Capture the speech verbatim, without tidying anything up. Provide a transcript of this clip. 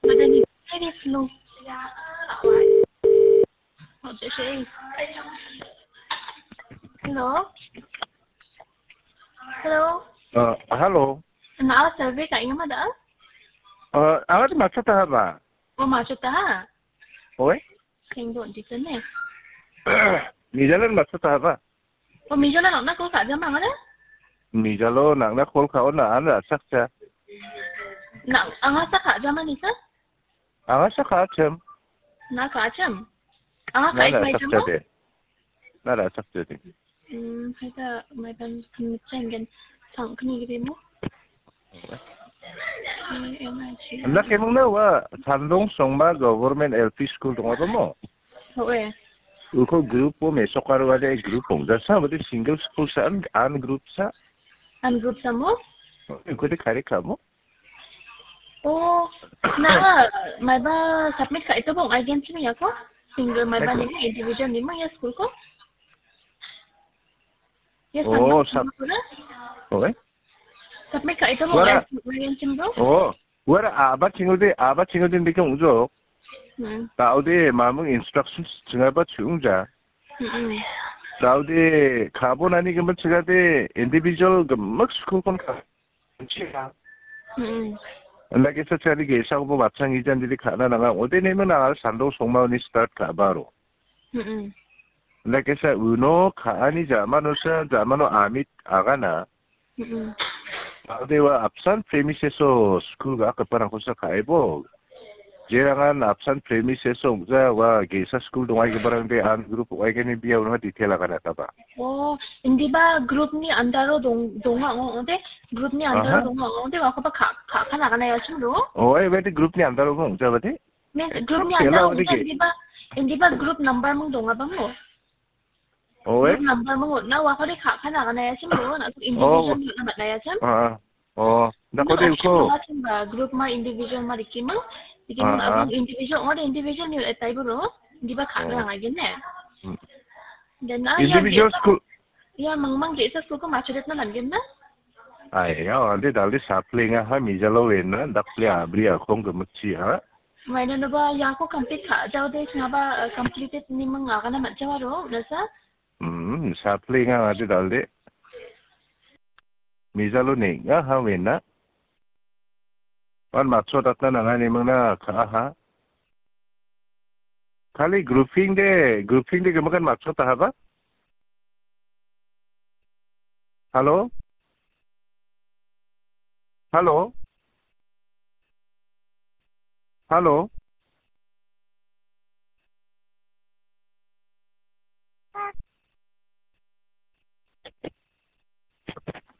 Madam, very slow. What to say? Hello? Hello? Uh, hello. Na, survey ka inga mada? Uh, awak macam apa? Oh, macam apa? Oi? Sing don di sini. Ni jalan macam apa? Oh, mijala nang na call ka jama ngala? Mijalo nang na call ka ona an ra sak cha. Na, anga sa ka jama ni sa? Anga sa ka chem. Na ka chem. Anga ka Na ra mai sak chem cha mo? De. Na ra sak cha de. Hmm, hai ta mai ban kan chem gen sang kni gede mo. Anda kemang na wa Sandong Songma Government L P School dong apa mo? Hoe. Uko group po mesok aru ada group pong. Jasa berarti single school sa an, an group sa. An group sa mo? Uko de kare ka mo? Oh, na, mai ba submit ka ito bong agen sini ya ko? Single mai ba Eko. Ni individual ni mo ya school ko? Ya Oh, sama sub- sama ko na? Hoe. Submit ka ito mo Wara- ya, ya, chin bro? Oh, wara aba chingode, aba chingode ndike ungjo. Hmm. Taude mamung instructions chingaba chungja. Hmm. Taude kabo nani gimik chingade individual gimik school kon ka. Chinga. Hmm. Ndake sa chari ge sa bo bachang ijan dili kana nanga. Ode ne mana Sandong Songma ni start ka baro. Hmm. Ndake sa uno ka ani jamano sa jamano amit agana. Mm-mm. Dewa apsan premises o school ga kaparang kosa kaibo. Jerangan apsan premises o ja wa gesa school dongai kaparang de an group wai gani bia unama detail agana taba. Oh, indiba group ni andaro dong, donga ong, ode group ni andaro Aha. Donga ong, ode wa kapa ka, ka, kana gana ya chimro? Oh, eh, bete group ni andaro ong, ja bete? Means group ni Kela andaro ong, ode ge. Indiba, indiba group number mung donga bang mo? Oh, eh? Group number mo na wa kode ka, kana gana ya chimro, na individual Oh. Na mat na ya chim? Ah, ah. Oh, na kode ko. Group ma individual ma dikimang. Dikimang Ah, ah. Abang individual, ode individual ni etai bro. Indiba ka Oh. Na ngai gene. Hmm. Dan na ya Individual ge. School. Ya, mang mang ge sa school ko machudet na langgen na. Ai, ya, ande dali sapling ha mijalo wena, dakple abri akong gemekchi ha. Maina no ba ya ko complete ka, jao de singaba, eh, completed ni mang agana mat jawaro, nasa? Hmm, sapling ha ade dali. Mijalo ne, ya ha wena. Wan matso datna nanga ni mangna ka ha. Kali grouping de, grouping de gemakan matso ta haba? Hello? Hello? Hello?